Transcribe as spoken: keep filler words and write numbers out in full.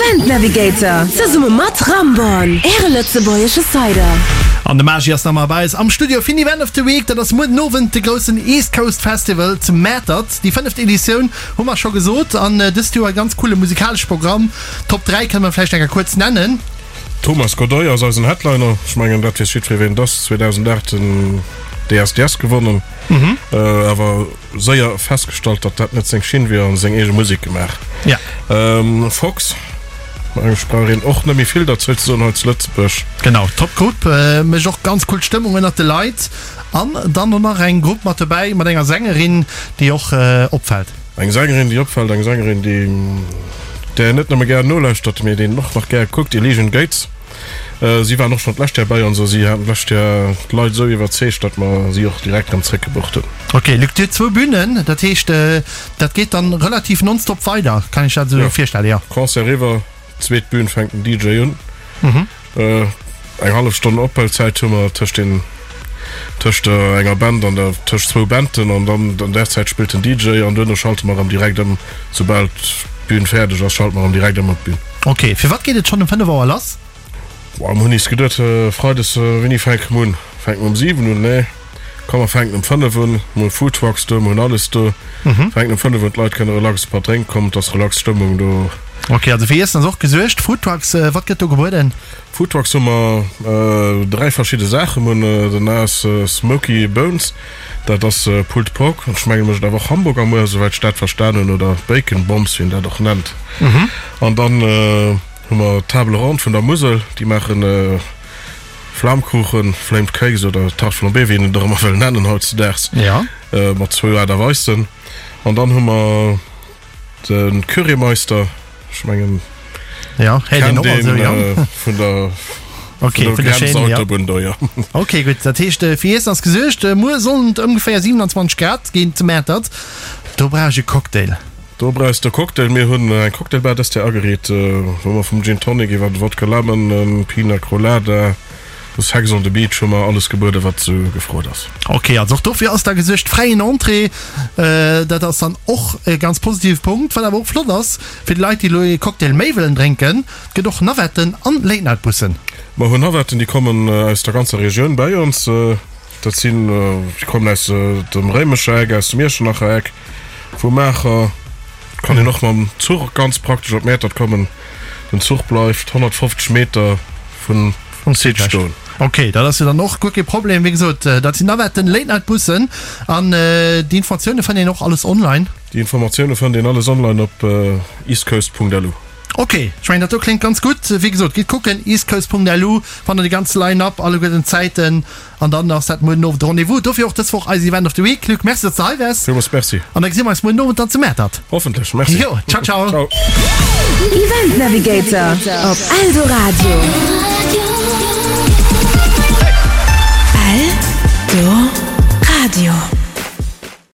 Event Navigator, zesumme mat Ramborn, äre lëtzebuergesche Cider. An de Magi ass nach ëmmer bei eis am Studio fir den Event of the Week. Dat ass muer den Owend de groussen East Coast Festival zu Mäertert. Déi fënneft Editioun, hu mer scho gesot. An dëst Joer e ganz coole musikalesche Programm. Top dräi kënne mer vläicht eng Kéier kuerz nennen. Thomas Godoy ass eisen Headliner. Ech mengen, dat weess jiddweree wien et ass. zweedausendacht den D S D S gewonnen, awer séier festgestallt, datt dat net seng Schinn wier an seng eege Musek gemaach. Fox, mengen ech, brauch een och net méi vill derzou ze soen hei zu Lëtzebuerg. Genau, top Grupp, mécht och ganz cool Stëmmung ënnert de Leit. An dann och nach eng Grupp mat dobäi mat enger Sängerin, déi och opfält. Eng Sängerin, déi opfält, eng Sängerin, déi där een net nëmme gär nolauschtert, mee deen een och nach gär kuckt, Elysian Gates. Si waren och schonn d'lescht Joer bei ons a si haten d'lescht Joer d'Leit esou iwwerzeegt, datt mer si och direkt erëm zréckgebucht hunn. Ok, Luc, Dir hutt zwou Bünen, dat heescht, dat geet dann relativ nonstop weider, kann ech dat esou virstellen, jo? Concert eriwwer, zweet Bühn fänkt den D J un. Eng hallef Stonn Ophuelzäit hu mer tëscht den, tëscht enger Band an der, tëscht zwou Banden an dann an där Zäit spillt den D J an duerno schalte mer erëm direkt ëm, soubal d'Bühn fäerdeg ass, schalte mer erëm direkt ëm op d'Bühn. Ok, firwat geet et schonn um fënnef Auer lass? Boah, mir hunn is geduet, Freides, wéini fänke mer un? Fänke mer um siwen un? Nee, komm mer fänken um fënnef un. Mir hu Foodtrucks do, mir hunn alles do. Fänken um fënnef un, d'Leit kënne relax e paar drénke kommen, et ass relax Stëmmung do. Ok, also fir Iessen ass och gesuergt. Foodtrucks, wat gëtt do gebueden? Foodtrucks hu mer dräi verschidde Saachen. Mir hunn den ass Smoky Bones, dat ass Pulled Pork, ech menge mécht awer och Hamburger muer, esouwäit ech dat verstan hunn, oder Bacon Bombs, wéi een dat och nennt. An dann hu mer d'Table Ronde vun der Musel, déi maachen Flamkuchen, Flamed Cakes oder Tarte flambée, wéi een et och ëmmer wëll nennen hautzedaags, mat zwou Aart a Weisen. An dann hu mer de Currymeister, ech mengen, kennt een vun der Grenzautobunn do, jo. Ok, gutt, dat heescht fir Iessen ass gesuergt. Muer sollen et ongeféier siewenanzwanzeg Grad ginn zu Mäertert. Do brauch ech e Cocktail. Do brauchs de e Cocktail. Mir hunn eng Cocktailbar dëst Joer ageriit, wou mer vum Gin Tonic iwwer de Vodka Lemon, Pina Colada, Sex on the Beach hu mer alles gebueden, wat sou gefrot ass. Ok, also och dofir ass da gesuergt. Fräien Entrée, dat ass dann och e ganz positive Punkt. Wat awer och flott ass fir déi Leit, déi elo ee Cocktail méi wëllen drénken, et gëtt och Navetten an Late Night Bussen. Mer hunn Navetten, déi kommen aus der ganzer Regioun bäi ons. Dat sinn, déi kommen aus dem Réimecher Eck, aus dem Iechternacher Eck. Vu Maacher kann een och mam Zuch ganz praktesch op Mäertert kommen. Den Zuch bleift honnertfofzeg Meter vun Site stoen. Ok, dat ass jo dann och guer kee Problem. Wéi gesot, dat sinn Navetten, Late Night Bussen an déi Informatioune fënnt een och alles online. Déi Informatioune fënnt een alles online op eastcoast Punkt L U. Ok, ech mengen dat do kléngt ganz gutt. Wéi gesot, gitt kucken, eastcoast Punkt L U fannt der déi ganz Line-Up, alleguerten d'Zäiten. An dann ass dat muer den Owend de Rendez-vous. Dofir och dës Woch eis Event of the Week. Luc, merci, datt s de hei waars. Villmools merci. An da gesi mer eis muer den Owend dann zu Mäertert. Hoffentlech. Merci. Jo, ciao, ciao. Ciao. Event Navigator op Eldoradio.